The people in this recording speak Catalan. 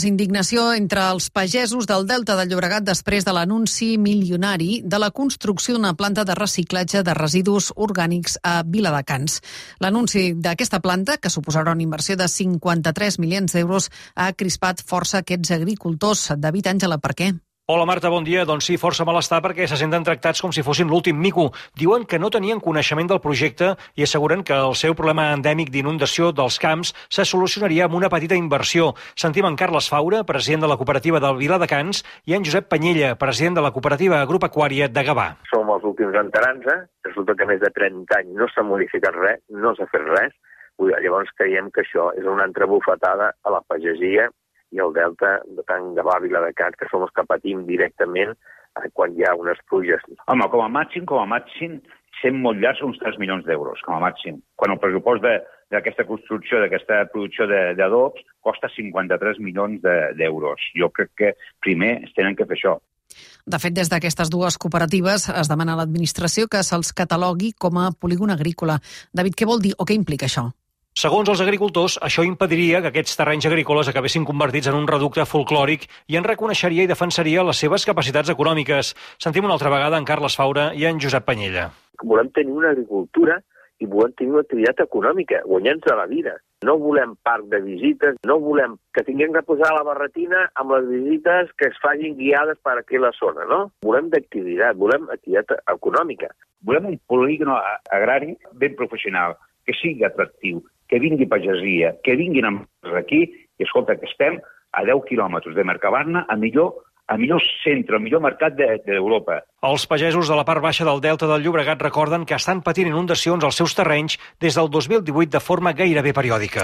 Indignació entre els pagesos del Delta del Llobregat després de l'anunci milionari de la construcció d'una planta de reciclatge de residus orgànics a Viladecans. L'anunci d'aquesta planta, que suposarà una inversió de 53 milions d'euros, ha crispat força aquests agricultors. David Àngela, per què? Hola Marta, bon dia. Doncs sí, força malestar perquè se senten tractats com si fossin l'últim mico. Diuen que no tenien coneixement del projecte i asseguren que el seu problema endèmic d'inundació dels camps se solucionaria amb una petita inversió. Sentim en Carles Faura, president de la cooperativa del Viladecans, i en Josep Panyella, president de la cooperativa agropecuària de Gavà. Som els últims enterants, resulta que més de 30 anys no s'ha modificat res, no s'ha fet res. Llavors creiem que això és una altra bufetada a la pagesia i el delta de tant Gavà, Viladecans, que som els que patim directament quan hi ha unes pluges. Home, com a màxim, sent molt llargs, uns 3 milions d'euros, com a màxim. Quan el pressupost d'aquesta construcció, d'aquesta producció d'adobs, costa 53 milions d'euros. Jo crec que primer es tenen que fer això. De fet, des d'aquestes dues cooperatives es demana a l'administració que se'ls catalogui com a polígon agrícola. David, què vol dir o què implica això? Segons els agricultors, això impediria que aquests terrenys agrícoles acabessin convertits en un reducte folclòric i en reconeixeria i defensaria les seves capacitats econòmiques. Sentim una altra vegada en Carles Faura i en Josep Panyella. Volem tenir una agricultura i volem tenir una activitat econòmica, guanyant-nos la vida. No volem parc de visites, no volem que tinguem que posar la barretina amb les visites que es facin guiades per aquí a la zona, no? Volem d'activitat, volem activitat econòmica. Volem un polígon agrari ben professional, que sigui atractiu, que vingui pagesia, que vinguin empreses aquí, i escolta, que estem a 10 quilòmetres de Mercabarna, a millor centre, al millor mercat d'Europa. Els pagesos de la part baixa del Delta del Llobregat recorden que estan patint inundacions als seus terrenys des del 2018 de forma gairebé periòdica.